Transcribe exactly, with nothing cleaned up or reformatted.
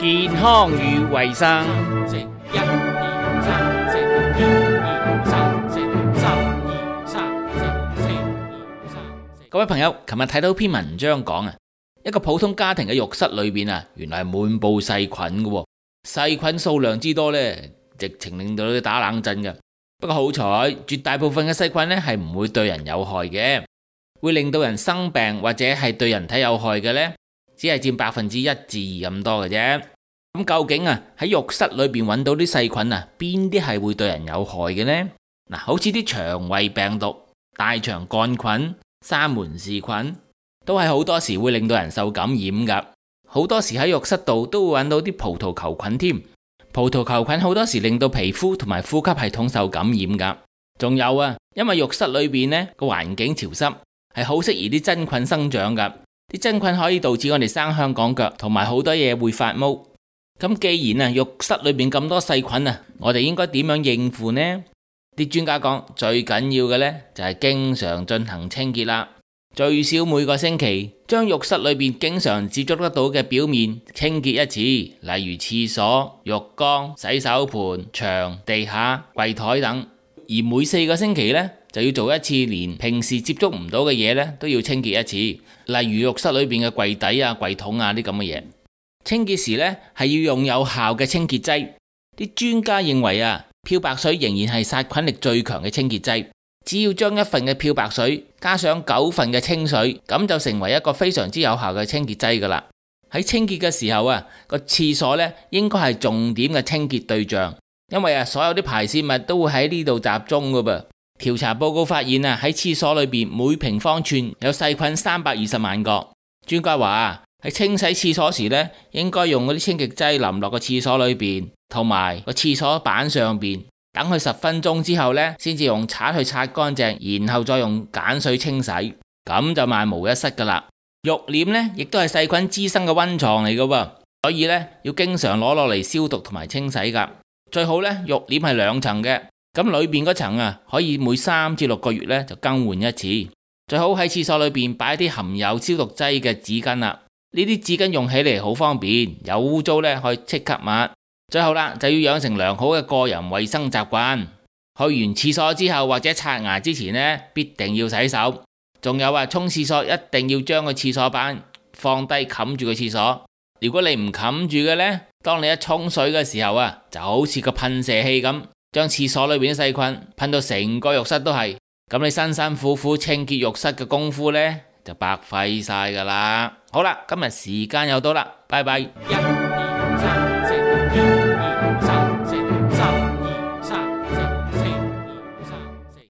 健康與衛生。食一二三，食二二三，食三二三，食四二三。各位朋友，琴日睇到篇文章講啊，一個普通家庭嘅浴室裏邊啊，原來係滿布細菌嘅，細菌數量之多呢，直情令到你打冷震嘅。不過好彩，絕大部分嘅細菌呢係唔會對人有害嘅，會令到人生病或者係對人體有害嘅呢，只係佔百分之一至二咁多嘅啫。咁究竟啊喺浴室裏邊揾到啲細菌啊，邊啲係會對人有害嘅呢？嗱，好似啲腸胃病毒、大腸桿菌、沙門氏菌，都係好多時會令到人受感染噶。好多時喺浴室度都會揾到啲葡萄球菌添。葡萄球菌好多時令到皮膚同埋呼吸系統受感染噶。仲有啊，因為浴室裏邊呢個環境潮濕，係好適宜啲真菌生長噶。啲真菌可以導致我哋生香港腳，同埋好多嘢會發毛。咁既然啊浴室裏邊咁多細菌啊，我哋應該點樣應付呢？啲專家講最緊要嘅呢就係經常進行清潔啦，最少每個星期將浴室裏邊經常接觸得到嘅表面清潔一次，例如廁所、浴缸、洗手盆、牆、地下、櫃台等。而每四個星期呢就要做一次連平時接觸唔到嘅嘢呢都要清潔一次，例如浴室裏邊嘅櫃底啊、櫃桶啊啲咁嘅嘢。清潔時呢係要用有效嘅清潔劑。啲專家認為啊，漂白水仍然係殺菌力最強嘅清潔劑。只要將一份嘅漂白水加上九份嘅清水，咁就成為一個非常之有效嘅清潔劑噶啦。喺清潔嘅時候啊，個廁所呢應該係重點嘅清潔對象，因為啊所有啲排泄物都會喺呢度集中噶噃。調查報告發現啊，喺廁所裏邊每平方寸有細菌三百二十萬個。專家話啊，喺清洗廁所時呢，應該用嗰啲清潔劑淋落個廁所裏邊，同埋個廁所板上邊，等佢十分鐘之後呢，先至用刷去刷乾淨，然後再用鹼水清洗，咁就萬無一失噶啦。浴簾呢，亦都係細菌滋生嘅溫床嚟噶喎，所以呢，要經常攞落嚟消毒同埋清洗噶。最好呢，浴簾係兩層嘅，咁裏邊嗰層啊，可以每三至六個月呢就更換一次。最好喺廁所裏邊擺啲含有消毒劑嘅紙巾啦。呢啲紙巾用起嚟好方便，有污糟呢可以即刻抹。最後啦，就要養成良好嘅個人衛生習慣。去完廁所之後或者刷牙之前呢，必定要洗手。仲有啊，沖廁所一定要將個廁所板放低冚住個廁所。如果你唔冚住嘅呢，當你一沖水嘅時候啊，就好似個噴射器咁，將廁所裏邊啲細菌噴到成個浴室都係。咁你辛辛苦苦清潔浴室嘅功夫呢，就白費晒噶啦。好啦，今日時間又到啦，拜拜。一二